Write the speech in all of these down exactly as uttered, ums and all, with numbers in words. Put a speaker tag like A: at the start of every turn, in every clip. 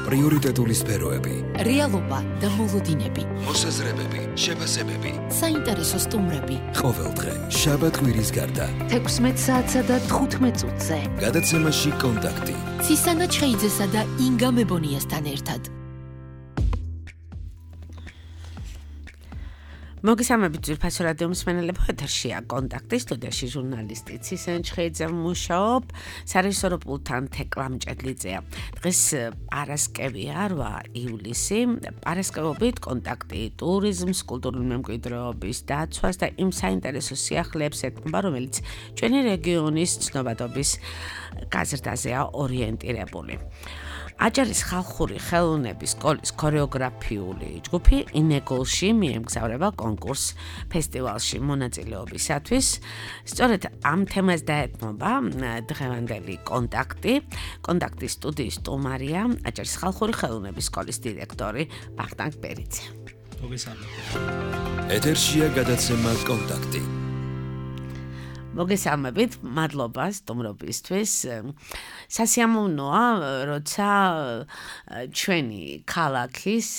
A: პრიორიტეტული სფეროები,
B: რეალობა და მოლოდინები,
A: მოსაზრებები, შეფასებები,
B: საინტერესო სტუმრები.
A: ყოველდღე შაბათ-კვირის გარდა
B: თექვსმეტ საათსა და თხუთმეტ წუთზე.
A: გადაცემაში კონტაქტი.
B: ცისანა ჩხეიძესა და ინგა მებონიასთან ერთად.
C: მოგესალმებით ძვირფასო რადიო მსმენელებო, ეთერშია კონტაქტი, სტუდიაში ჟურნალისტი ცისანა ჩხეიძე მუშაობ, სარეჟისორო პულტთან თეკლა მჭედლიძეა. დღეს პარასკევია, რვა ივლისი, პარასკევობით კონტაქტი ტურიზმს, კულტურული მემკვიდრეობის დაცვას და იმ საინტერესო სიახლეებს ეთმობა, რომელიც ჩვენი რეგიონის ცნობადობის გაზრდაზეა ორიენტირებული. აჭარის ხალხური ხელოვნების სკოლის ქორეოგრაფიული ჯგუფი ინეგოლში მიემგზავრება კონკურს ფესტივალში მონაწილეობისათვის. სწორედ ამ თემას დაეთმობა დღევანდელი კონტაქტი. კონტაქტის სტუდიის სტუმარია აჭარის ხალხური ხელოვნების სკოლის დირექტორი ვახტანგ ბერიძე.
A: მოგესალმებით. ეთერშია გადაცემა კონტაქტი.
C: მოგესალმებით, მადლობა სტუმრობისთვის. სასიამოვნოა, როცა ჩვენი ქალაქის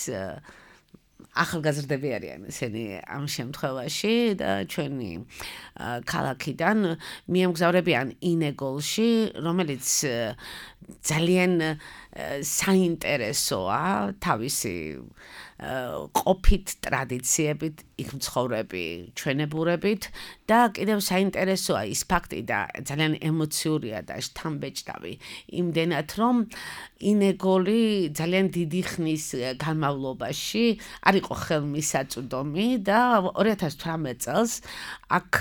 C: ახალგაზრდები არიან ესენი ამ შემთხვევაში და ჩვენი ქალაქიდან მიემგზავრებიან ინეგოლში, რომელიც ძალიან საინტერესოა თავისი ყოფით ტრადიციებით, იქ მცხოვრები ჩვენებურებით და კიდევ საინტერესოა ის ფაქტი და ძალიან ემოციურია და შთამბეჭდავი იმდენად, რომ ინეგოლი ძალიან დიდი ხნის განმავლობაში არ იყო ხელმისაწვდომი და ორი ათას თვრამეტ წელს აქ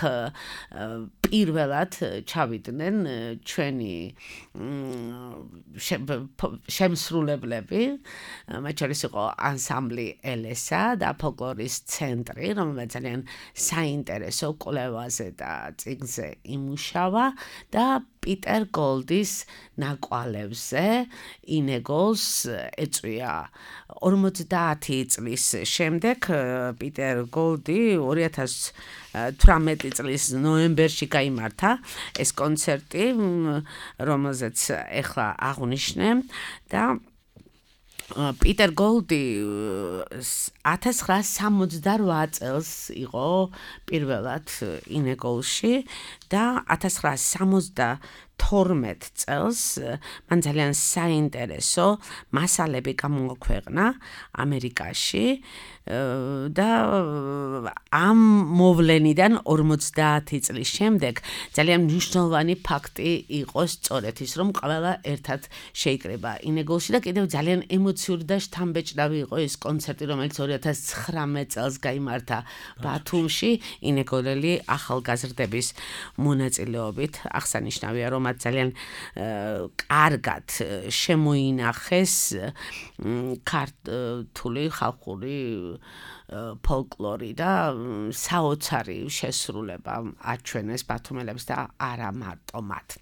C: პირველად ჩავიდნენ ჩვენი შემსრულებლები, მათ შორის იყო ანსამბლი ელესა და ფოლკლორის ცენტრი, რომელიც ძალიან საინტერესო კვლევაზე და წიგნზე იმუშავა და პიტერ გოლდის ნაკვალევზე ინეგოლს ეწვია. ორმოცდაათი წლის შემდეგ პიტერ გოლდი ორი ათას თვრამეტი წლის ნოემბერში გაიმართა ეს კონცერტი, რომელზეც ეხლა აღვნიშნე და პიტერ გოლდი ათას ცხრაასი სამოცდარვა წელს იყო პირველად ინეგოლში და ათას ცხრაასი სამოცდათორმეტ წელს მან ძალიან საინტერესო მასალები გამოაქვეყნა ამერიკაში და ამ მოვლენიდან ორმოცდაათი წლის შემდეგ ძალიან მნიშვნელოვანი ფაქტი იყო სწორედ ის, რომ ყველა ერთად შეიკრება ინეგოლში და კიდევ ძალიან ემოციური და შთამბეჭდავი იყო ეს კონცერტი, რომელიც ორი ათას ცხრამეტ წელს გაიმართა ბათუმში ინეგოლელი ახალგაზრდების მონაწილეობით. აღსანიშნავია, რომ მათ ძალიან კარგად შემოინახეს ქართული ხალხური ფოლკლორი და საოცარი შესრულება აჩვენეს ბათუმელებს და არა მარტო მათ.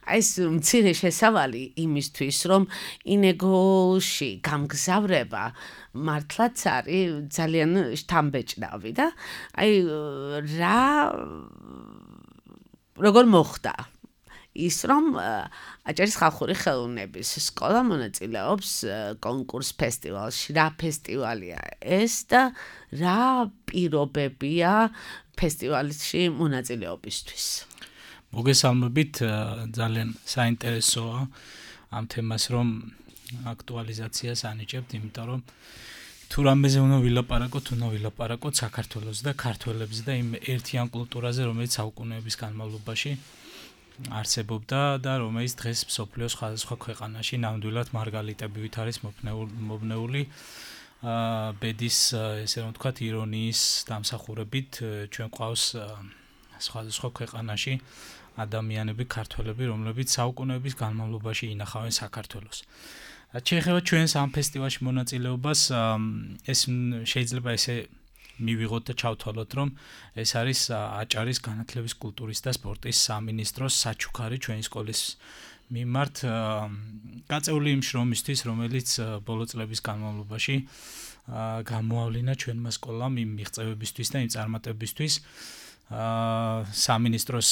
C: ეს მცირე შესავალი იმისთვის, რომ ინეგოლში გამგზავრება მართლაც არის ძალიან შთამბეჭდავი და აი რა როგორ მოხდა ის, რომ აჭარის ხალხური ხელოვნების სკოლა მონაწილეობს კონკურს ფესტივალში. რა ფესტივალია ეს და რა პირობებია ფესტივალში მონაწილეობისთვის?
D: მოგესალმებით, ძალიან საინტერესოა ამ თემას რომ აქტუალიზაციას ანიჭებთ, იმიტომ რომ თუ რამეზე უნდა ვილაპარაკოთ, უნდა ვილაპარაკოთ საქართველოს და ქართველებს და იმ ერთიან კულტურაზე, რომელიც საუკუნეების განმავლობაში არსებობდა და რომელიც დღეს მსოფლიოს სხვადასხვა ქვეყანაში ნამდვილად მარგალიტებივით არის მობნეული ბედის, ესე რომ ვთქვათ, ირონიის დამსახურებით ჩვენ ყავს სხვადასხვა ქვეყანაში ადამიანები, ქართველები, რომლებიც საუკუნეების განმავლობაში ინახავენ საქართველოს. შეეხება ჩვენს ამ ფესტივალში მონაწილეობას, ეს შეიძლება ესე მივიღოთ და ჩავთვალოთ, რომ ეს არის აჭარის განათლების, კულტურის და სპორტის სამინისტროს საჩუქარი ჩვენი სკოლის მიმართ გაწეული იმ შრომისთვის, რომელიც ბოლო წლების განმავლობაში გამოავლინა ჩვენმა სკოლამ იმ მიღწევებისთვის და იმ წარმატებებისთვის, სამინისტროს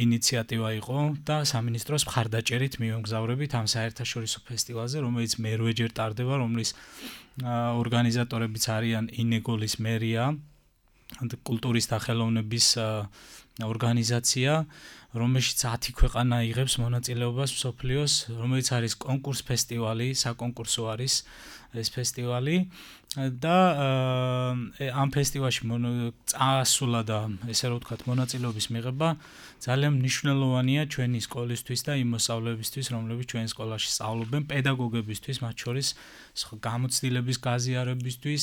D: ინიციატივა იყო და სამინისტროს მხარდაჭერით მივემგზავრებით ამ საერთაშორისო ფესტივალზე, რომელიც მერვეჯერ ტარდება, რომლის ორგანიზატორებიც არიან ინეგოლის მერია, კულტურის და ხელოვნების ორგანიზაცია, რომელშიც ათი ქვეყანა იღებს მონაწილეობას მსოფლიოს, რომელიც არის კონკურს ფესტივალი, საკონკურსო არის ეს ფესტივალი და ამ ფესტივალში წასულა და ესე რომ ვთქვათ მონაწილეობის მიღება ძალიან მნიშვნელოვანია ჩვენი სკოლისთვის და იმ მოსწავლეებისთვის, რომლებიც ჩვენ სკოლაში სწავლობენ, პედაგოგებისთვის, მათ შორის გამოცდილების გაზიარებისთვის,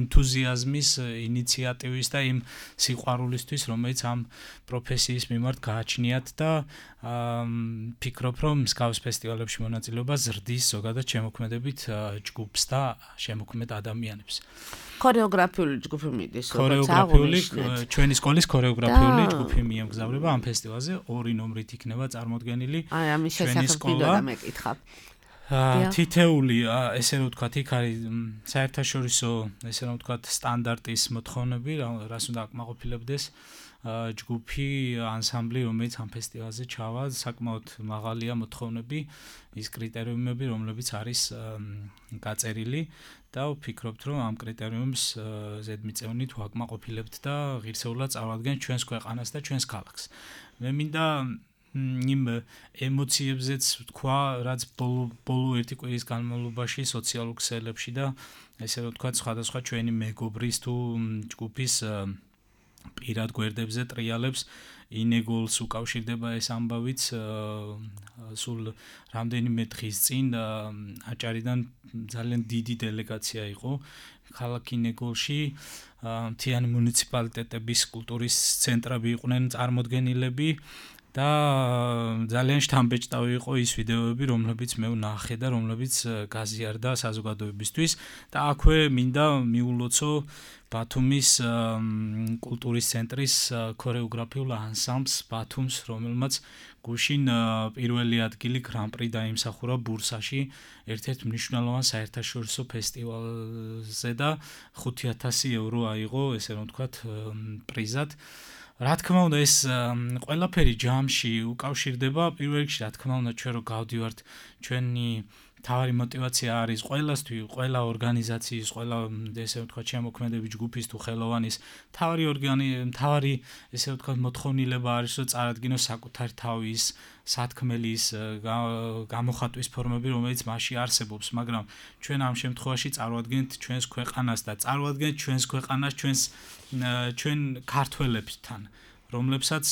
D: ენთუზიაზმის, ინიციატივის და იმ სიყვარულისთვის, რომელიც ამ პროფესიის მიმართ გააჩნიათ და ფიქრობ, რომ მსგავს ფესტივალებში მონაწილეობა ზრდის ზოგადად შემოქმედებით ჯგუფს და შემოქმედ ადამიანებს.
C: ქორეოგრაფიული ჯგუფი მიდის,
D: ქორეოგრაფიული ჩვენი სკოლის ქორეოგრაფიული ჯგუფი მიემგზავრება ამ ფესტივალზე, ორი ნომრით იქნება წარმოდგენილი.
C: აი, ამის შესახებ მინდოდა მეკითხა.
D: თითეული, ესე რომ ვთქვათ, იქ არის საერთაშორისო, ესე რომ ვთქვათ, სტანდარტის მოთხოვნები, რას უნდა აკმაყოფილებდეს ჯგუფი, ანსამბლი, რომელიც ამ ფესტივალზე ჩავა, საკმაოდ მაღალია მოთხოვნები, ის კრიტერიუმები, რომლებიც არის გაწერილი და ვფიქრობთ, რომ ამ კრიტერიუმს ზედმიწევნით ვაკმაყოფილებთ და ღირსეულად წავადგენთ ჩვენს ქვეყანას და ჩვენს ქალაქს. მე მინდა იმ ემოციებზეც ვთქვა, რაც ბოლო ერთი კვირის განმავლობაში სოციალურ ქსელებში და ესე რომ ვთქვათ, სხვადასხვა ჩვენი მეგობრის თუ ჯგუფის პირად გვერდებზე ტრიალებს ინეგოლს უკავშირდება ეს ამბავიც სულ რამდენიმე დღის წინ აჭარიდან ძალიან დიდი დელეგაცია იყო ქალაქ ინეგოლში მთიანი მუნიციპალიტეტების კულტურის ცენტრები იყვნენ წარმოდგენილები და ძალიან შთამბეჭდავი იყო ის ვიდეოები, რომლებიც მე ვნახე და რომლებიც გაზიარდა საზოგადოებისთვის და აქვე მინდა მიულოცო ბათუმის კულტურის ცენტრის ქორეოგრაფიულ ანსამბლს ბათუმს, რომელმაც გუშინ პირველი ადგილი გრან-პრი დაიმსახურა ბურსაში, ერთ-ერთ მნიშვნელოვან საერთაშორისო ფესტივალზე და ხუთი ათასი ევრო აიღო, ესე რომ ვთქვათ, პრიზად. რა თქმა უნდა ეს ყველაფერი ჯამში უკავშირდება პირველ რიგში რა თქმა უნდა ჩვენ რო გავდივართ ჩვენი თავარი мотиваცია არის ყველასთვის ყველა ორგანიზაციის ყველა ესე ვთქვათ შემოქმედები ჯგუფის თუ ხელოვანის თავარი ორგანი თავარი ესე ვთქვათ მოთხოვნილება არის რომ წარადგინოს საკუთარი თავის სათქმელის გამოხატვის ფორმები რომელიც მასში არსებობს მაგრამ ჩვენ ამ შემთხვევაში წარვადგენთ ჩვენს ქვეყანას და წარვადგენთ ჩვენს ქვეყანას ჩვენს ჩვენ ქართველებთან რომლებსაც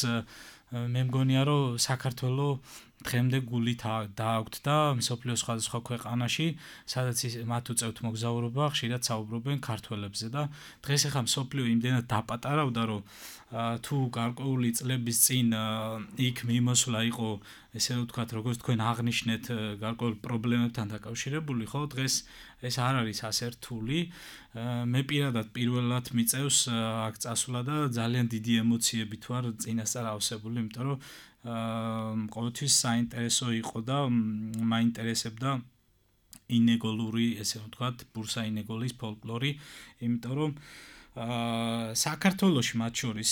D: მე მგონია რომ საქართველოს დღემდე გული დააქვთ და მსოფლიოს სხვადასხვა ქვეყანაში სადაც მათ უწევთ მოგზაურობა ხშირად საუბრობენ ქართველებზე და დღეს ახლა მსოფლიო იმდენად დაპატარავდა რომ თუ გარკვეული წლების წინ იქ მიმოსვლა იყო ესე ვთქვათ როგორც თქვენ აღნიშნეთ გარკვეულ პრობლემებთან დაკავშირებული ხო დღეს ეს არ არის ასე რთული მე პირადად პირველად მიწევს აქ წასვლა და ძალიან დიდი ემოციებით ვარ წინასწარ ავსებული იმიტომ რომ ყოველთვის საინტერესო იყო და მაინტერესებდა ინეგოლური ესე ვთქვათ ბურსა ინეგოლის ფოლკლორი იმიტომ რომ საქართველოში მათ შორის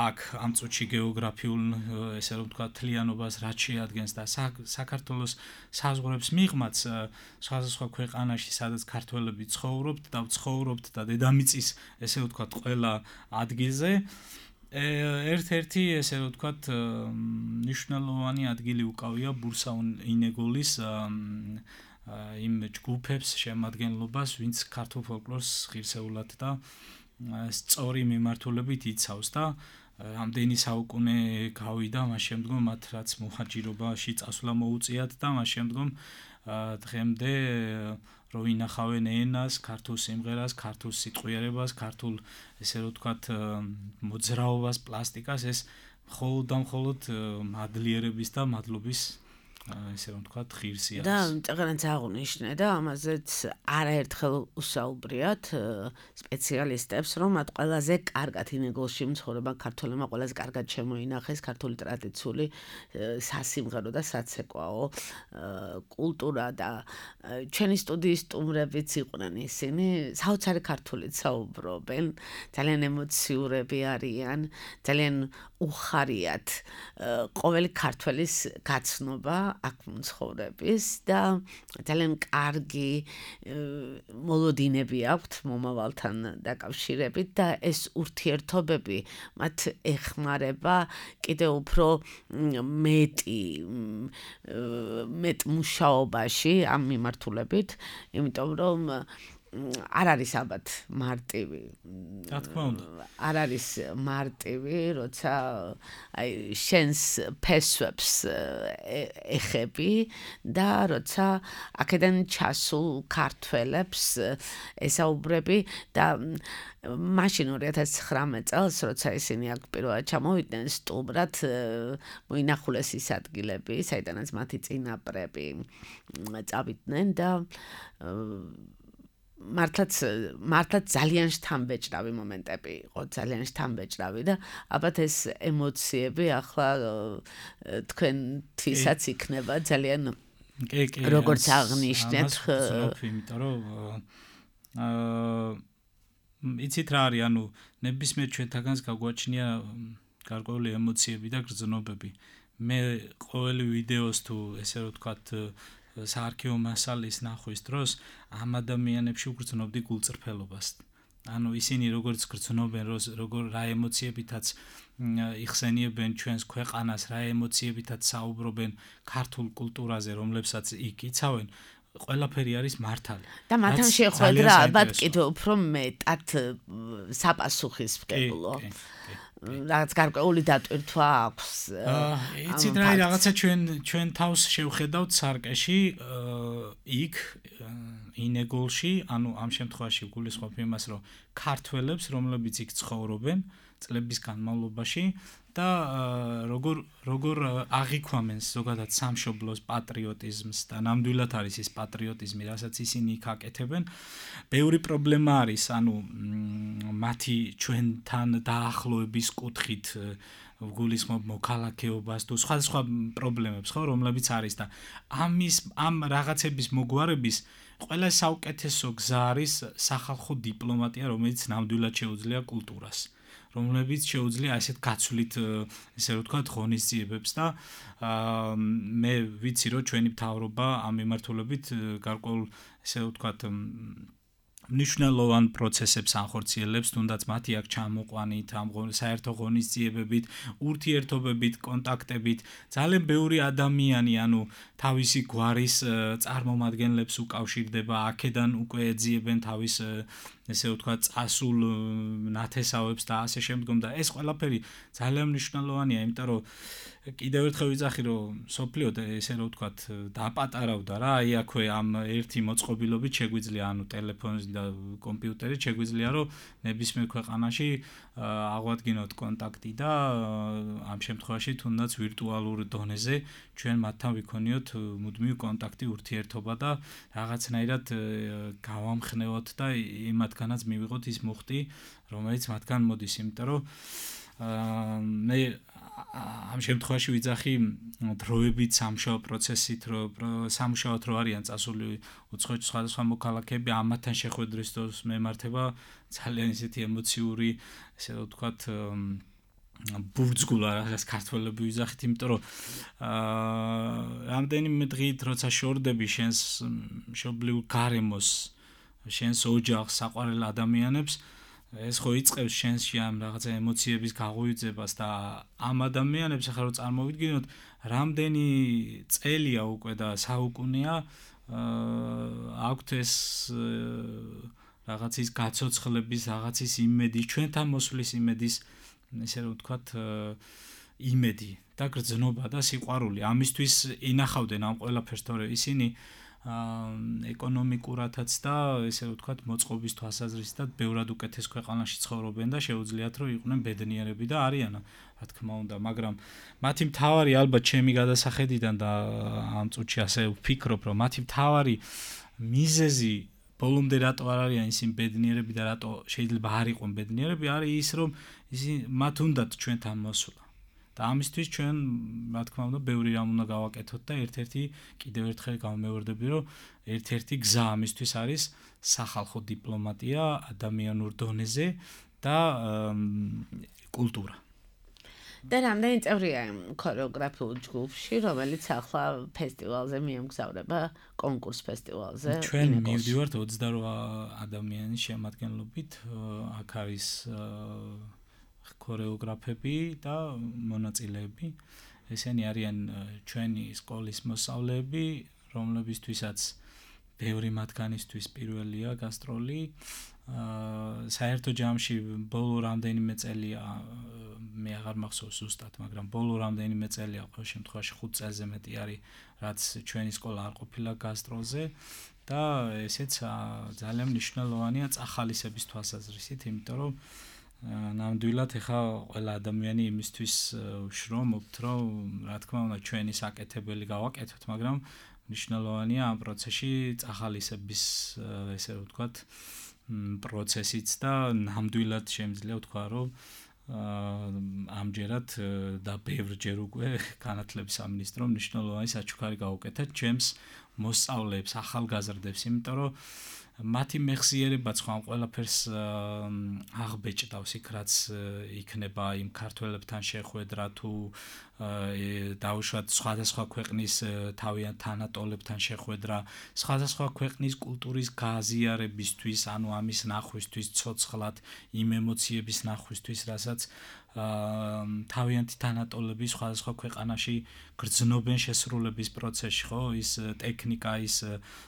D: აქ ამ წუთში გეოგრაფიულ ესე ვთქვათ თლიანობას რაც შეადგენს და საქართველოს საზღვრებს მიღმაც სხვადასხვა ქვეყანაში სადაც ქართველები ცხოვრობთ და ცხოვრობთ და დედამიწის ესე ვთქვათ ყველა ადგილზე ერთ-ერთი ესე ვთქვათ მნიშვნელოვანი ადგილი უკავია ბურსა ინეგოლის იმ ჯგუფებს შემადგენლობას ვინც ქართულ ფოლკლორს ღირსეულად და სწორი მიმართულებით იცავს და ამდენი საუკუნე გავიდა მას შემდგომ მათ რაც მოხაჭირობაში წასვლა მოუწიათ და მას შემდგომ დღემდე რო ინახავენ ენას, ქართულ სიმღერას, ქართულ სიტყვიერებას, ქართულ ესე რომ ვთქვათ მოძრაობას, პლასტიკას ეს მხოლოდ და მხოლოდ მადლიერების და მადლობის ესე რომ ვთქვათ, ღირსი არის.
C: და წეგრანც აღნიშნე და ამაზეც არაერთხელ უსაუბრიათ სპეციალისტებს, რომ მათ ყველაზე კარგად ინეგულში მცხოვრება ქართველებმა ყველაზე კარგად შემოინახეს ქართული ტრადიციული სასიმღერო და საცეკვაო კულტურა და ჩვენი სტუდიის სტუმრებიც იყვნენ ისინი, საოცარი ქართულით საუბრობენ, ძალიან ემოციურები არიან, ძალიან უხარიათ ყოველი ქართველის გაცნობა აქ მცხოვრების და ძალიან კარგი მოლოდინები აქვთ მომავალთან დაკავშირებით და ეს ურთიერთობები მათ ეხმარება კიდევ უფრო მეტი მეტ მუშაობაში ამ მიმართულებით, იმიტომ რომ არ არის ალბათ მარტივი.
D: რა თქმა უნდა.
C: არ არის მარტივი, როცა აი შენს ფესვებს ეხები და როცა აქედან ჩასულ ქართველებს ესაუბრები და მაშინ ორი ათას ცხრამეტ წელს, როცა ისინი აქ პირველად ჩამოვიდნენ სტუმრად, მოინახულეს ის ადგილები, საიდანაც მათი წინაპრები წავიდნენ და მართლაც მართლაც ძალიან შთამბეჭდავი მომენტები იყო, ძალიან შთამბეჭდავი და ალბათ ეს ემოციები ახლა თქვენთვისაც იქნება ძალიან როგორც აღნიშნეთ,
D: იმიტომ რომ აა იცით რა არის, ანუ ნებისმიერ ჩვენთაგანს გაგვაჩნია გარკვეული ემოციები და გრძნობები. მე ყოველი ვიდეოს თუ ესე რომ ვთქვათ საარქივო მასალის ნახვის დროს ამ ადამიანებში ვგრძნობდი გულწრფელობას. ანუ ისინი როგორც გრძნობენ, როგორ რა ემოციებითაც იხსენიებენ ჩვენს ქვეყანას, რა ემოციებითაც საუბრობენ ქართულ კულტურაზე, რომლებსაც იქ იცავენ, ყველაფერი არის მართალი.
C: და მათთან შეხვედრა ალბათ კიდევ უფრო მეტად საპასუხისმგებლო. რაც გარკვეული დატვირთვა აქვს.
D: იცით რა, რაღაცა ჩვენ ჩვენ თავს შევხედავთ სარკეში, იქ ინეგულში, ანუ ამ შემთხვევაში გულისხმობ იმას, რომ ქართველებს, რომლებიც იქ ცხოვრობენ წლების განმავლობაში და როგორ როგორ აღიქვამენ ზოგადად სამშობლოს პატრიოტიზმს და ნამდვილად არის ეს პატრიოტიზმი, რასაც ისინი იქ აკეთებენ. ბევრი პრობლემა არის, ანუ მათი ჩვენთან დაახლოების კუთხით გულისხმობ მოქალაქეობას თუ სხვა სხვა პრობლემებს, ხო, რომლებიც არის და ამის ამ რაღაცების მოგვარების ყველა საუკეთესო გზა არის სახალხო დიპლომატია, რომელიც ნამდვილად შეუძლია კულტურას. რომლებიც შეუძლია ასეთ გაცვლით, ესე რომ ვთქვათ, ღონისძიებებს და მე ვიცი, რომ ჩვენი მთავრობა ამ მიმართულებით გარკვეულ, ესე რომ ვთქვათ, მნიშვნელოვან პროცესებს ანხორციელებს, თუნდაც მათი აქ ჩამოყვანით, ამ საერთო ღონისძიებებით, ურთიერთობებით, კონტაქტებით, ძალიან ბევრი ადამიანი, ანუ თავისი გვარის წარმომადგენლებს უკავშირდება, აქედან უკვე ეძიებენ თავის ესე ვთქვათ, წასულ ნათესავებს და ასე შემდგომ და ეს ყველაფერი ძალიან მნიშვნელოვანია, იმიტომ რომ კიდევ ერთხელ ვიძახი, რომ სოფლიო ესე რომ ვთქვათ, დაპატარავდა რა, აი აქვე ამ ერთი მოწყობილობით შეგვიძლია, ანუ ტელეფონით და კომპიუტერით შეგვიძლია, რომ ნებისმიერ ქვეყანაში აღვადგინოთ კონტაქტი და ამ შემთხვევაში თუნდაც ვირტუალურ დონეზე ჩვენ მათთან ვიქონიოთ მუდმივი კონტაქტი, ურთიერთობა და რაღაცნაირად გავამხნევოთ და იმათგანაც მივიღოთ ის მუხტი, რომელიც მათგან მოდის, იმიტომ რომ მე ამ შემთხვევაში ვიძახი დროებით სამშაო პროცესით, რომ სამშაოთ რო არიან წასული უცხოეთ სხვადასხვა მოქალაქეები, ამათთან შეხვედრის დროს მემართება ძალიან ისეთი ემოციური, ესე რომ ვთქვათ, ბურძგულა რაღაც ქართველები ვიძახით, იმიტომ რომ რამდენიმე დღით როცა შორდები შენს მშობლიურ გარემოს, შენს ოჯახს, საყვარელ ადამიანებს, ეს ხო იწყებს შენში ამ რაღაცა ემოციების გაღვივებას და ამ ადამიანებს ახლა რო წარმოვიდგინოთ, რამდენი წელია უკვე და საუკუნეა აქვთ ეს რაღაცის გაცოცხლების, რაღაცის იმედი, ჩვენთან მოსვლის იმედის, ესე რომ ვთქვათ, იმედი და გრძნობა და სიყვარული. ამისთვის ინახავდნენ ამ ყველაფერს, თორე ისინი ეკონომიკურათაც და ესე ვთქვათ მოწყობის თვალსაზრისითაც ბევრად უკეთეს ქვეყანაში ცხოვრობენ და შეუძლიათ რომ იყვნენ ბედნიერები და არიან რა თქმა უნდა, მაგრამ მათი მთავარი ალბათ ჩემი გადასახედიდან და ამ წუთში ასე ვფიქრობ რომ მათი მთავარი მიზეზი ბოლომდე რატო არ არიან ისინი ბედნიერები და რატო შეიძლება არ იყვნენ ბედნიერები არის ის რომ ისინი მათ უნდათ ჩვენთან მოსვლა და ამისთვის ჩვენ რა თქმა უნდა ბევრი რამ უნდა გავაკეთოთ და ერთ-ერთი კიდევ ერთხელ გამომევარდები რომ ერთ-ერთი გზა ამისთვის არის სახალხო დიპლომატია ადამიანურ დონეზე და კულტურა
C: და რამდენი წევრია ქორეოგრაფიულ ჯგუფში, რომელიც ახლა ფესტივალზე მიემგზავრება, კონკურს ფესტივალზე?
D: ჩვენ მივდივართ ოცდაორი ადამიანის შემადგენლობით, აქ არის ქორეოგრაფები და მონაწილეები. ესენი არიან ჩვენი სკოლის მოსწავლეები, რომლებისთვისაც ბევრი მათგანისთვის პირველია გასტროლი. საერთო ჯამში ბოლო რამდენიმე წელია მე აღარ მახსოვს ზუსტად, მაგრამ ბოლო რამდენიმე წელია ყოველ შემთხვევაში ხუთ წელზე მეტი არის, რაც ჩვენი სკოლა არ ყოფილა გასტროლზე და ესეც ძალიან მნიშვნელოვანია წახალისების თვალსაზრისით, იმიტომ რომ ნამდვილად ეხა ყველა ადამიანი იმისთვის ვშრომობთ, რომ რა თქმა უნდა ჩვენი საკეთებელი გავაკეთოთ, მაგრამ მნიშვნელოვანია ამ პროცესში წახალისების ესე ვთქვათ პროცესიც და ნამდვილად შემიძლია ვთქვა რომ ამჯერად და ბევრჯერ უკვე განათლების სამინისტრომ მნიშვნელოვანი საჩუქარი გაუკეთა ჩემს მოსწავლეებს, ახალგაზრდებს, იმიტომ რომ მათი მეხსიერებაც ხო ამ ყველაფერს აღბეჭდავს იქ რაც იქნება იმ ქართველებთან შეხვედრა თუ დაუშვათ სხვადასხვა ქვეყნის თავიანთ თანატოლებთან შეხვედრა, სხვადასხვა ქვეყნის კულტურის გააზიარებისთვის, ანუ ამის ნახვისთვის, ცოცხლად იმ ემოციების ნახვისთვის, რასაც თავიანთი თანატოლები სხვადასხვა ქვეყანაში გრძნობენ შესრულების პროცესში, ხო? ის ტექნიკა, ის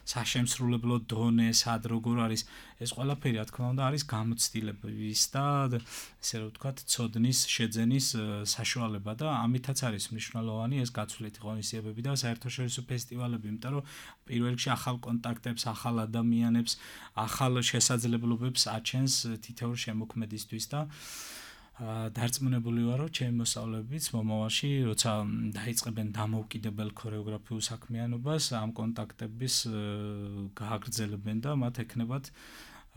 D: საშემსრულებლო დონე, სად როგორ არის, ეს ყველაფერი რა თქმა უნდა არის გამოცდილების და ესე რომ ვთქვათ, ცოდნის შეძენის საშუალება და ამითაც არის მნიშვნელოვანი ეს გაცვლითი ღონისძიებები და საერთაშორისო ფესტივალები, იმიტომ რომ პირველ რიგში ახალ კონტაქტებს, ახალ ადამიანებს, ახალ შესაძლებლობებს აჩენს თითოეულ შემოქმედისთვის და დარწმუნებული ვარ, რომ ჩემი მოსწავლეებიც მომავალში, როცა დაიწყებენ დამოუკიდებელ ქორეოგრაფიულ საქმიანობას, ამ კონტაქტების გააგრძელებენ და მათ ექნებათ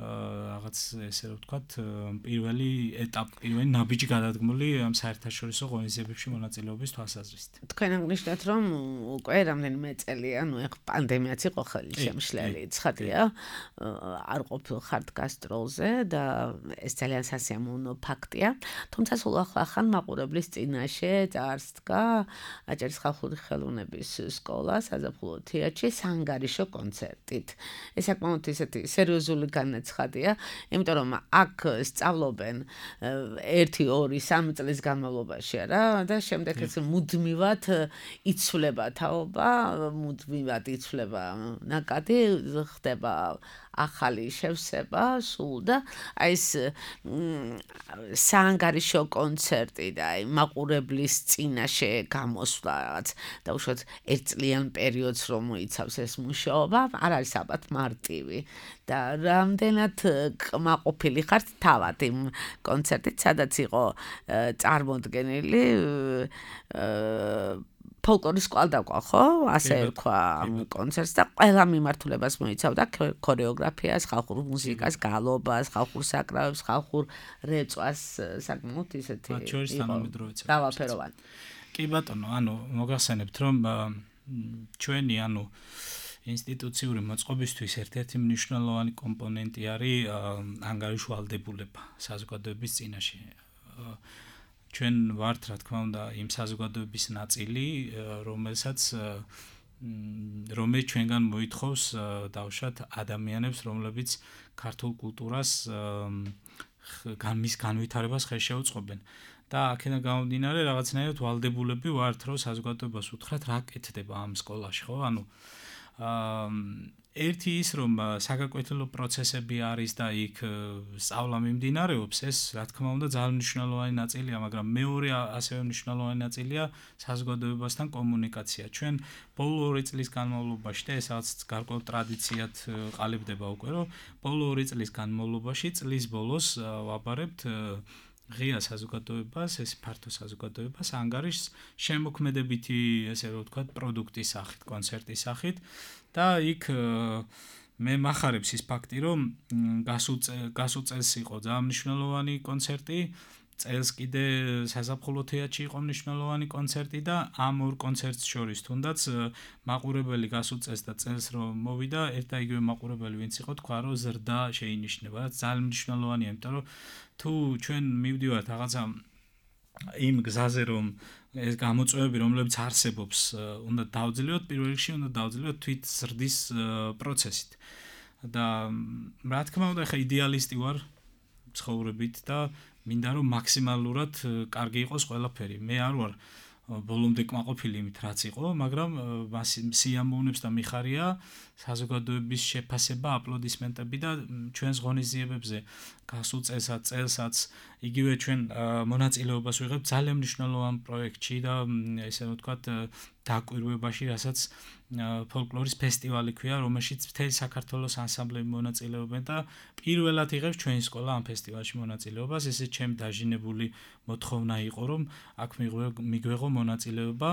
D: რაღაც ესე რომ ვთქვათ, პირველი ეტაპი, პირველი ნაბიჯი გადადგმული ამ საერთაშორისო ღონისძიებებში მონაწილეობის თვალსაზრისით.
C: თქვენ აღნიშნეთ, რომ უკვე რამდენიმე წელია, ნუ ეხ პანდემიაც იყო ხელი შემშლელი, ცხადია, არ ყოფილხართ გასტროლზე და ეს ძალიან სასიამოვნო ფაქტია. თუმცა სულ ახლა მაყურებლის წინაშე წარსდგა აჭარის ხალხური ხელოვნების სკოლა საზაფხულო თეატრში საანგარიშო კონცერტით. ეს საკმაოდ ისეთი სერიოზული განაცხადია ხადია, იმიტომ რომ აქ სწავლობენ ერთი, ორი, სამი წლის განმავლობაში რა და შემდეგ ეს მუდმივად იცვლება თაობა, მუდმივად იცვლება ნაკადი, ხდება ახალი შევსება სულ და აი ეს საანგარიშო კონცერტი და აი მაყურებლის წინაშე გამოსვლა რაღაც დაუშვათ ერთწლიან პერიოდს რომ მოიცავს ეს მუშაობა, არ არის ალბათ მარტივი და რამდენად კმაყოფილი ხართ თავად იმ კონცერტით, სადაც იყო წარმოდგენილი ფოლკლორის კვალდაკვა, ხო? ასე ერქვა ამ კონცერტს და ყველა მიმართულებას მოიცავდა ქორეოგრაფიას, ხალხურ მუსიკას, გალობას, ხალხურ საკრავებს, ხალხურ რეწვას, საკმაოდ ისეთი
D: მათ შორის თანამედროვე
C: მრავალფეროვანი.
D: კი ბატონო, ანუ მოგახსენებთ რომ ჩვენი ანუ ინსტიტუციური მოწყობისთვის ერთ-ერთი მნიშვნელოვანი კომპონენტი არის ანგარიშვალდებულება საზოგადოების წინაშე. ჩვენ ვართ, რა თქმა უნდა, იმ საზოგადოების ნაწილი, რომელსაც რომელიც ჩვენგან მოითხოვს დავუშვათ ადამიანებს, რომლებიც ქართულ კულტურას მის განვითარებას ხელს შეუწყობენ. და აქედან გამომდინარე, რაღაცნაირად ვალდებულები ვართ, რომ საზოგადოებას უთხრათ, რა კეთდება ამ სკოლაში, ხო? ანუ ერთი ის რომ საგაკვეთილო პროცესები არის და იქ სწავლა მიმდინარეობს, ეს რა თქმა უნდა ძალიან მნიშვნელოვანი ნაწილია, მაგრამ მეორე ასევე მნიშვნელოვანი ნაწილია საზოგადოებასთან კომუნიკაცია. ჩვენ ბოლო ორი წლის განმავლობაში და ესაც გარკვეულ ტრადიციად ყალიბდება უკვე, რომ ბოლო ორი წლის განმავლობაში წლის ბოლოს ვაბარებთ ღია საზოგადოებას, ეს ფართო საზოგადოებას ანგარიშს შემოქმედებითი, ესე რომ ვთქვათ, პროდუქტის სახით, კონცერტის სახით და იქ მე მახარებს ის ფაქტი, რომ გასულ წელს იყო ძალიან მნიშვნელოვანი კონცერტი, წელს კიდე საზაფხულო თეატრში იყო მნიშვნელოვანი კონცერტი და ამ ორ კონცერტს შორის თუნდაც მაყურებელი გასულ წელს და წელს რომ მოვიდა, ერთ და იგივე მაყურებელი ვინც იყო, თქვა რომ ზრდა შეინიშნება, რაც ძალიან მნიშვნელოვანია, იმიტომ რომ თუ ჩვენ მივდივართ რაღაცა იმ გზაზე რომ ეს გამოწვევები რომლებიც არსებობს უნდა დავძლიოთ პირველ რიგში უნდა დავძლიოთ თვით ზრდის პროცესით და რა თქმა უნდა ხა იდეალისტი ვარ ცხოვრებით და მინდა რომ მაქსიმალურად კარგი იყოს ყველაფერი მე არ ვარ ბოლომდე კმაყოფილი იმით რაც იყო მაგრამ სიამოვნებს და მიხარია საზოგადოების შეფასება აპლოდისმენტები და ჩვენს ღონისძიებებზე გასულ წელსაც წელსაც იგივე ჩვენ მონაწილეობას ვიღებთ ძალიან მნიშვნელოვან პროექტში და ესე ვთქვათ დაკვირვებაში რასაც ფოლკლორის ფესტივალი ქვია რომელშიც მთელი საქართველოს ანსამბლები მონაწილეობენ და პირველად იღებს ჩვენი სკოლა ამ ფესტივალში მონაწილეობას ესე ჩემი დაჟინებული მოთხოვნა იყო რომ აქ მიგვეღო მონაწილეობა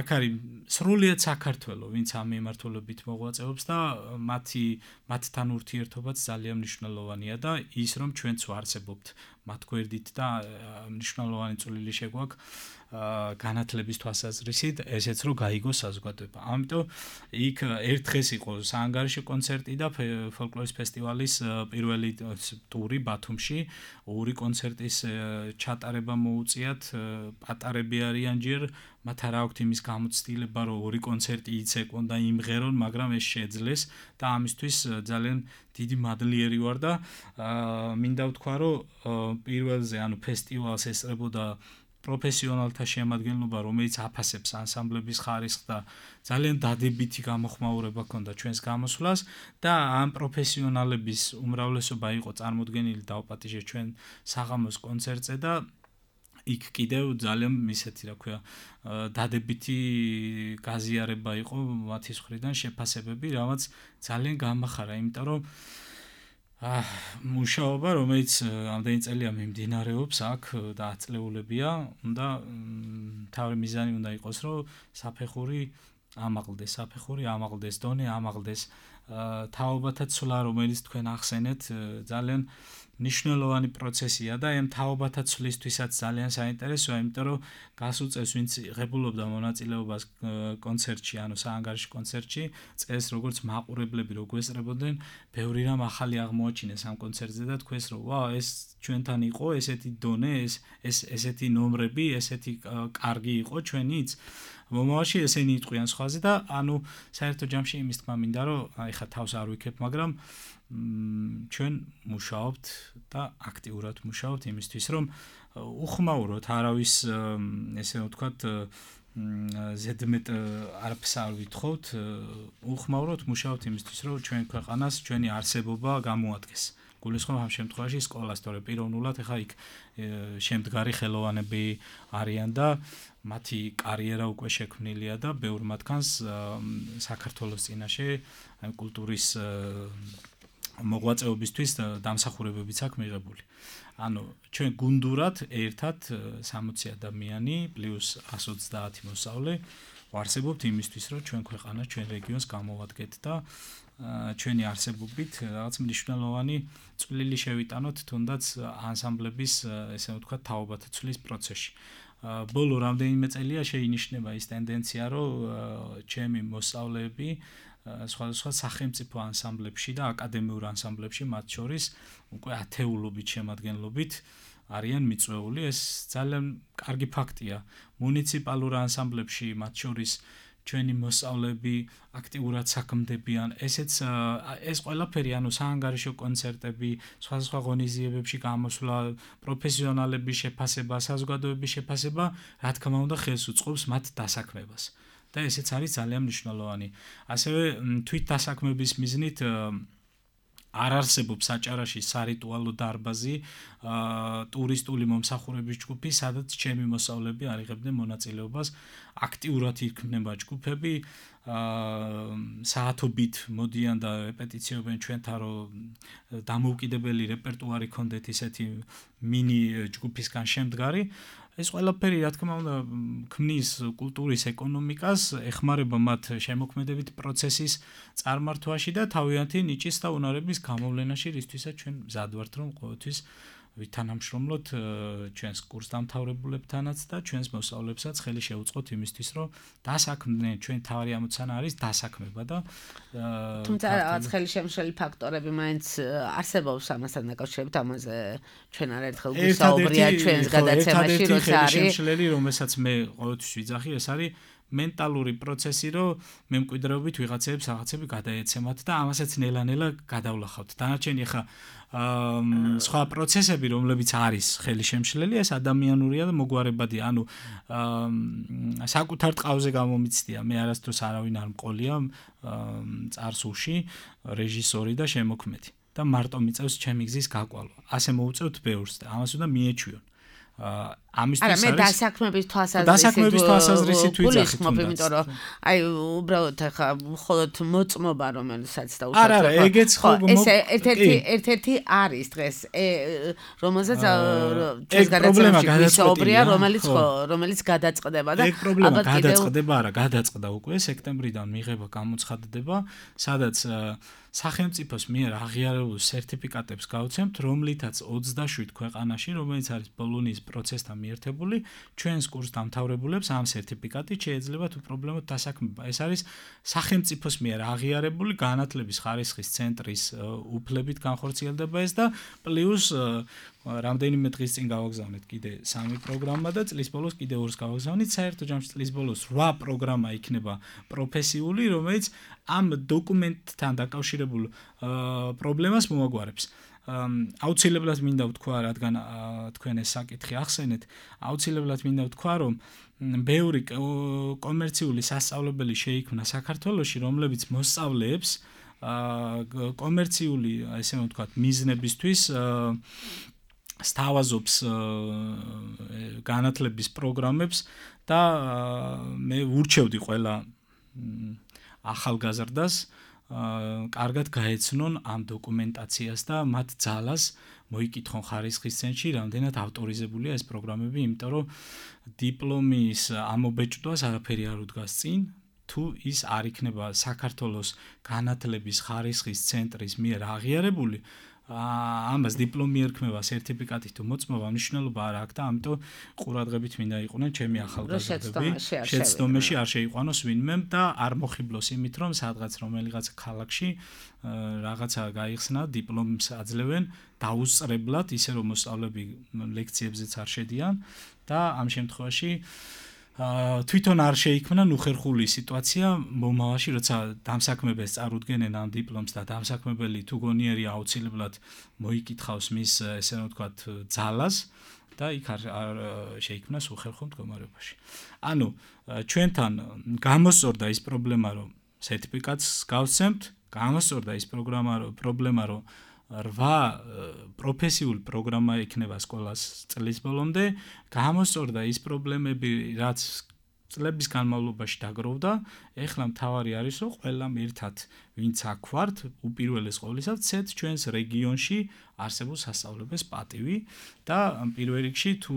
D: აქ არის სრულიად საქართველო ვინც ამ მიმართულებით მოღვაწეობს და მათი მათთან ურთიერთობაც ძალიან მნიშვნელოვანია და ის რომ ჩვენც ვარსებობთ მათ გვერდით და მნიშვნელოვანი წვლილი შეგვაქვს განათლების თვალსაზრისით ესეც რომ გაიგოს საზოგადოება. ამიტომ იქ ერთ დღეს იყო საანგარიშო კონცერტი და ფოლკლორის ფესტივალის პირველი ტური ბათუმში, ორი კონცერტის ჩატარება მოუწიათ, პატარები არიან ჯერ, მათ არ აქვთ იმის გამოცდილება, რომ ორი კონცერტი იცეკონ და იმღერონ, მაგრამ ეს შეძლეს და ამისთვის ძალიან დიდი მადლიერი ვარ და მინდა ვთქვა, რომ პირველზე, ანუ ფესტივალს ესწრებოდა პროფესიონალთა შემადგენლობა, რომელიც აფასებს ანსამბლების ხარისხს და ძალიან დადებითი გამოხმაურება ჰქონდა ჩვენს გამოსვლას და ამ პროფესიონალების უმრავლესობა იყო წარმოდგენილი დაუპატიჟე ჩვენ საღამოს კონცერტზე და იქ კიდევ ძალიან ისეთი რა ქვია დადებითი გაზიარება იყო მათი მხრიდან შეფასებები, რაც ძალიან გამახარა, იმიტომ რომ მუშაობა, რომელიც ამდენი წელია მიმდინარეობს აქ და აწლეულებია, უნდა თავი მიზანი უნდა იყოს, რომ საფეხური ამაღლდეს, საფეხური ამაღლდეს, დონე ამაღლდეს. თაობათა ცვლა, რომელიც თქვენ ახსენეთ, ძალიან მნიშვნელოვანი პროცესია და ამ თაობათა ცვლისთვისაც ძალიან საინტერესოა, იმიტომ რომ გასულ წელს ვინც ღებულობდა მონაწილეობას კონცერტში, ანუ საანგარიშო კონცერტში, წელს როგორც მაყურებლები რო გვესწრებოდნენ, ბევრი რამ ახალი აღმოაჩინეს ამ კონცერტზე და თქვენს რომ ვა, ეს ჩვენთან იყო, ესეთი დონე, ეს ეს ესეთი ნომრები, ესეთი კარგი იყო ჩვენიც. მომავალში ესენი იტყვიან სხვაზე და ანუ საერთო ჯამში იმის თქმა მინდა რომ აი ხა თავს არ ვიქებ, მაგრამ ჩვენ მუშაობთ და აქტიურად მუშაობთ იმისთვის რომ უხმაუროთ არავის ესე ვთქვათ ზედმეტ არაფერს არ ვითხოვთ, უხმაუროთ მუშაობთ იმისთვის რომ ჩვენ ქვეყანას ჩვენი არსებობა გამოადგეს. გულისხმობ ამ შემთხვევაში სკოლას, თორე პიროვნულად ეხა იქ შემდგარი ხელოვანები არიან და მათი კარიერა უკვე შექმნილია და ბევრ მათგანს საქართველოს წინაშე კულტურის მოღვაწეობისთვის დამსახურებებიც აქვს მიღებული. ანუ ჩვენ გუნდურად ერთად სამოცი ადამიანი პლუს εκατს ოცდაათი მოსწავლე ვარსებობთ იმისთვის, რომ ჩვენ ქვეყანას, ჩვენ რეგიონს გამოვადგეთ და ჩვენი არსებობით რაღაც მნიშვნელოვანი წვლილი შევიტანოთ თუნდაც ანსამბლების, ესე ვთქვათ, თაობათა ცვლის პროცესში. ბოლო რამდენიმე წელია შეინიშნება ის ტენდენცია, რომ ჩემი მოსწავლეები სხვადასხვა სახელმწიფო ანსამბლებში და აკადემიურ ანსამბლებში, მათ შორის უკვე ათეულობით შემადგენლობით არიან მიწვეული. ეს ძალიან კარგი ფაქტია. მუნიციპალურ ანსამბლებში, მათ შორის ჩვენი მოსწავლეები აქტიურად საქმდებიან. ესეც ეს ყველაფერი, ანუ საანგარიშო კონცერტები, სხვადასხვა ღონისძიებებში გამოსვლა, პროფესიონალების შეფასება, საზოგადოების შეფასება, რა თქმა უნდა, ხელს უწყობს მათ დასაქმებას. და ესეც არის ძალიან მნიშვნელოვანი. ასევე თვით დასაქმების მიზნით არ არსებობს საჭარაში სარიტუალო დარბაზი, ტურისტული მომსახურების ჯგუფი, სადაც ჩემი მოსავლები არიღებდნენ მონაწილეობას, აქტიურად იქნება ჯგუფები, საათობით მოდიან და რეპეტიციობენ ჩვენთან, რომ დამოუკიდებელი რეპერტუარი ქონდეთ ისეთი მინი ჯგუფისგან შემდგარი. ეს ყველაფერი რა თქმა უნდა ქმნის კულტურის ეკონომიკას, ეხმარება მათ შემოქმედებით პროცესის წარმართვაში და თავიანთი ნიჭის და უნარების გამოვლენაში, რისთვისაც ჩვენ მზად ვართ, რომ ყოველთვის ვითანამშრომლოთ ჩვენს კურსდამთავრებულებთანაც და ჩვენს მოსწავლეებსაც ხელი შევუწყოთ იმისთვის, რომ დასაქმდნენ, ჩვენ თავი ამოცანა არის დასაქმება და
C: თუმცა რაღაც ხელი შემშლელი ფაქტორები მაინც არსებობს ამასთან დაკავშირებით, ამაზე ჩვენ არაერთხელ გვისაუბრია ჩვენს გადაცემაში, როცა არის
D: შემშლელი, რომელსაც მე ყოველთვის ვიძახი, ეს არის მენტალური პროცესი, რომ მემკვიდრეობით ვიღაცებს რაღაცები გადაეცემათ და ამასაც ნელა-ნელა გადავლახავთ. დანარჩენი ახლა სხვა პროცესები, რომლებიც არის ხელშემშლელი, ეს ადამიანურია და მოგვარებადია. ანუ საკუთარ ტყავზე გამომიცდია, მე არასდროს არავინ არ მყოლია წარსულში რეჟისორი და შემოქმედი და მარტო მიწევს ჩემი გზის გაკვალვა. ასე მოუწევთ ბევრს და ამას უნდა მიეჩვიონ. ამისთვის
C: არის არა მე დასაქმების თვალსაზრისით
D: დასაქმების თვალსაზრისით ვიძახით
C: იმიტომ რომ აი უბრალოდ ახლა მხოლოდ მოწმობა რომელსაც და უშუალოდ
D: არა არა ეგეც ხო
C: ეს ერთ-ერთი ერთ-ერთი არის დღეს რომელზეც ჩვენს გადაცემაში გვისაუბრია რომელიც ხო რომელიც გადაწყდება და
D: ეგ პრობლემა გადაწყდება არა გადაწყდა უკვე სექტემბრიდან მიღება გამოცხადდება სადაც სახელმწიფოს მიერ აღიარებულ სერტიფიკატებს გავცემთ, რომლითაც ოცდაშვიდ ქვეყანაში, რომელიც არის ბოლონიის პროცესთან მიერთებული, ჩვენს კურსდამთავრებულებს ამ სერტიფიკატით შეეძლებათ უპრობლემოდ დასაქმება. ეს არის სახელმწიფოს მიერ აღიარებული განათლების ხარისხის ცენტრის უფლებით განხორციელდება ეს და პლუს რამდენიმე დღის წინ გავაგზავნეთ კიდე სამი პროგრამა და წლის ბოლოს კიდე ორს გავაგზავნით. საერთო ჯამში წლის ბოლოს რვა პროგრამა იქნება პროფესიული, რომელიც ამ დოკუმენტთან დაკავშირებულ პრობლემას მოაგვარებს. აუცილებლად მინდა ვთქვა, რადგან თქვენ ეს საკითხი ახსენეთ, აუცილებლად მინდა ვთქვა, რომ ბევრი კომერციული სასწავლებელი შეიქმნა საქართველოში, რომლებიც მოსწავლეებს კომერციული, ესე ვთქვათ, მიზნებისთვის სთავაზობს განათლების პროგრამებს და მე ვურჩევდი ყველა ახალგაზრდას კარგად გაეცნონ ამ დოკუმენტაციას და მათ ძალას მოიკითხონ ხარისხის ცენტრში, რამდენად ავტორიზებულია ეს პროგრამები, იმიტომ რომ დიპლომის ამობეჭდვას არაფერი არ უდგას წინ, თუ ის არ იქნება საქართველოს განათლების ხარისხის ცენტრის მიერ აღიარებული, ამას დიპლომი ერქმევა სერტიფიკატით თუ მოწმობა მნიშვნელობა არ აქვს და ამიტომ ყურადღებით მინდა იყვნენ ჩემი ახალგაზრდები შეცდომაში არ შეიყვანოს ვინმე და არ მოხიბლოს იმით რომ სადღაც რომელიღაც ქალაქში რაღაცა გაიხსნა დიპლომს აძლევენ დაუსწრებლად ისე რომ მოსწავლეები ლექციებზეც არ შედიან და ამ შემთხვევაში თვითონ არ შეიქმნა ნუხერხული სიტუაცია მომავალში, როცა დამსაქმებელს წარუდგენენ ამ დიპლომს და დამსაქმებელი თუ გონიერია აუცილებლად მოიკითხავს მის ესე რომ ვთქვათ ძალას და იქ არ შეიქმნას უხერხო მდგომარეობაში. ანუ ჩვენთან გამოსწორდა ის პრობლემა, რომ სერტიფიკატს გავცემთ, გამოსწორდა ის პროგრამა, პრობლემა, რომ რვა პროფესიული პროგრამა იქნება სკოლას წლის ბოლომდე, გამოსწორდა ის პრობლემები, რაც წლების განმავლობაში დაგროვდა, ეხლა მთავარი არის, რომ ყველამ ერთად ვინც აქ ვართ, უპირველეს ყოვლისა, ვცეთ ჩვენს რეგიონში არსებულ სასწავლებელს პატივი და პირველ რიგში თუ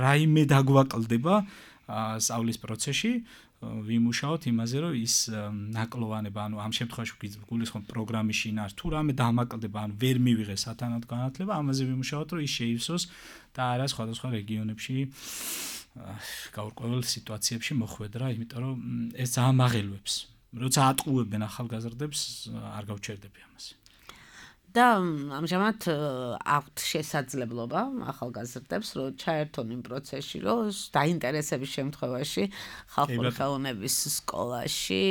D: რაიმე დაგვაკლდება სწავლის პროცესში ვიმუშაოთ იმაზე, რომ ის ნაკლოვანება, ანუ ამ შემთხვევაში გულისხმობ პროგრამის შინაარს, თუ რამე დამაკლდება, ანუ ვერ მივიღეს სათანადო განათლება, ამაზე ვიმუშაოთ, რომ ის შეივსოს და არა სხვადასხვა რეგიონებში გაურკვეველ სიტუაციებში მოხვედრა, იმიტომ რომ ეს ძალიან მაღელვებს. როცა ატყუებენ ახალგაზრდებს, არ გავჩერდები ამაზე.
C: და ამჟამად აქვთ შესაძლებლობა ახალგაზრდებს რომ ჩაერთონ იმ პროცესში, რომ დაინტერესების შემთხვევაში ხალხური ხელოვნების სკოლაში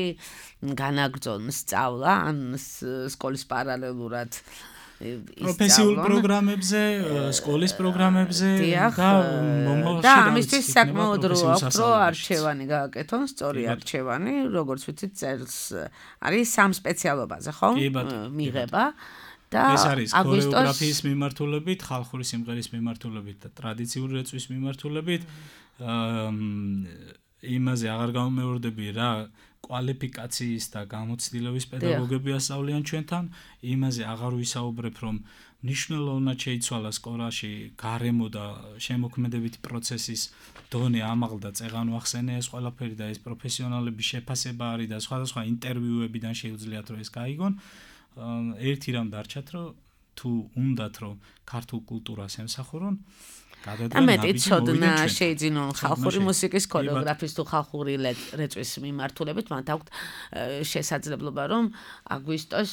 C: განაგრძონ სწავლა, ან სკოლის პარალელურად
D: პროფესიულ პროგრამებზე, სკოლის პროგრამებზე და მომავალში
C: და ამისთვის საკმაოდ რო აქვს რომ არჩევანი გააკეთონ, სწორი არჩევანი, როგორც ვიცით, წერს არის სამ სპეციალობაზე, ხო? მიღება და
D: ეს არის ქორეოგრაფიის მიმართულებით, ხალხური სიმღერის მიმართულებით და ტრადიციული რეწვის მიმართულებით. იმაზე აღარ გამომეორდები რა კვალიფიკაციის და გამოცდილების პედაგოგები ასწავლიან ჩვენთან, იმაზე აღარ ვისაუბრებ, რომ მნიშვნელოვნად შეიცვალა სკოლაში გარემო და შემოქმედებითი პროცესის დონე ამაღლდა, წეღან ვახსენე ეს ყველაფერი და ეს პროფესიონალების შეფასება არის და სხვადასხვა ინტერვიუებიდან შეუძლიათ რომ ეს გაიგონ. ერთი რამ დარჩათ, რომ თუ უნდათ რომ ქართულ კულტურას ემსახურონ,
C: და მეტი ცოდნა შეიძინონ ხალხური მუსიკის ქორეოგრაფიის თუ ხალხური რეწვის მიმართულებით, მათ აქვთ შესაძლებლობა რომ აგვისტოს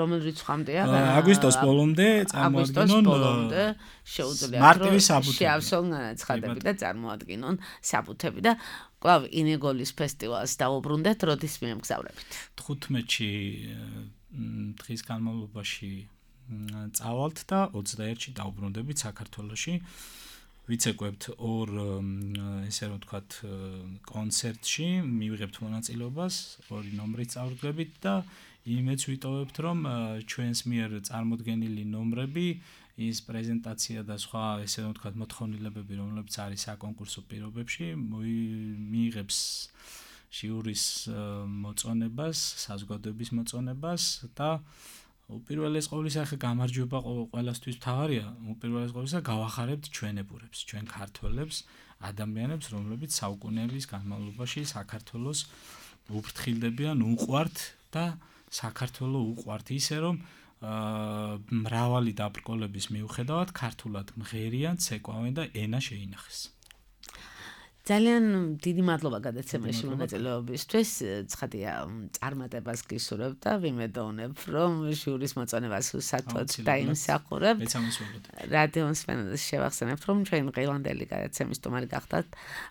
C: რომელ რიცხვამდეა
D: აგვისტოს ბოლომდე
C: წარმოადგინონ შეუძლიათ რომ შეავსონ ცხადები და წარმოადგინონ საბუთები და კვლავ ინეგოლის ფესტივალს დაუბრუნდეთ, როდის მიემგზავრებით?
D: თხუთმეტში დღის განმავლობაში წავალთ და ოცდაერთში დაუბრუნდებით საქართველოში. ვიცეკვებთ ორ ესე რომ ვთქვათ კონცერტში, მივიღებთ მონაწილეობას, ორი ნომრით წავდგებით და იმეც ვიტოვებთ, რომ ჩვენს მიერ წარმოდგენილი ნომრები, ის პრეზენტაცია და სხვა ესე რომ ვთქვათ მოთხოვნილებები, რომლებიც არის საკონკურსო პირობებში, მიიღებს ჟიურის მოწონებას, საზოგადოების მოწონებას და უპირველეს ყოვლისა ხე გამარჯვება ყველასთვის მთავარია, უპირველეს ყოვლისა გავახარებთ ჩვენებურებს, ჩვენ ქართველებს, ადამიანებს, რომლებიც საუკუნეების განმავლობაში საქართველოს უფრთხილდებიან, უყვართ და საქართველო უყვართ ისე რომ მრავალი დაბრკოლების მიუხედავად ქართულად მღერიან, ცეკვავენ და ენა შეინახეს.
C: ძალიან დიდი მადლობა გადაცემაში მონაწილეობისთვის. ცხადია, წარმატებას გისურვებ და ვიმედოვნებ, რომ ჟიურის მოწონებას უსათოდ დაიმსახურებთ. რადიო მსმენელს შევახსენებთ, რომ ჩვენ დღევანდელი გადაცემის სტუმარი გახდათ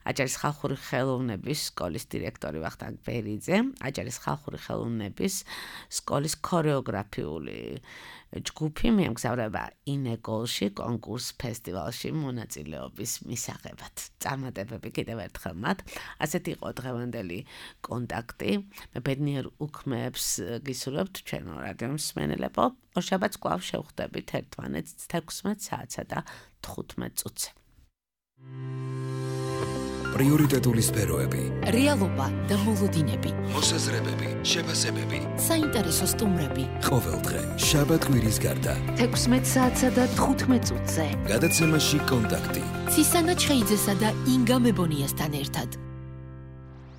C: აჭარის ხალხური ხელოვნების სკოლის დირექტორი ვახტანგ ბერიძე, აჭარის ხალხური ხელოვნების სკოლის ქორეოგრაფიული ჯგუფი მიემგზავრება ინეგოლში კონკურს ფესტივალში მონაწილეობის მისაღებად. წარმატებები კიდევ ერთხელ მათ. ასეთი იყო დღევანდელი კონტაქტი. მე ბედნიერ უქმეებს გისურვებთ ჩვენო რადიო მსმენელებო. ორშაბათს კვლავ შევხვდებით ერთმანეთს თექვსმეტ საათსა და თხუთმეტ წუთზე.
A: პრიორიტეტული სფეროები,
B: რეალობა და მოლოდინები,
A: მოსაზრებები, შეფასებები,
B: საინტერესო სტუმრები.
A: ყოველდღე შაბათ-კვირის გარდა
B: თექვსმეტ საათსა და თხუთმეტ წუთზე.
A: გადაცემაში კონტაქტი.
B: ცისანა ჩხეიძესა და ინგა მებონიასთან ერთად.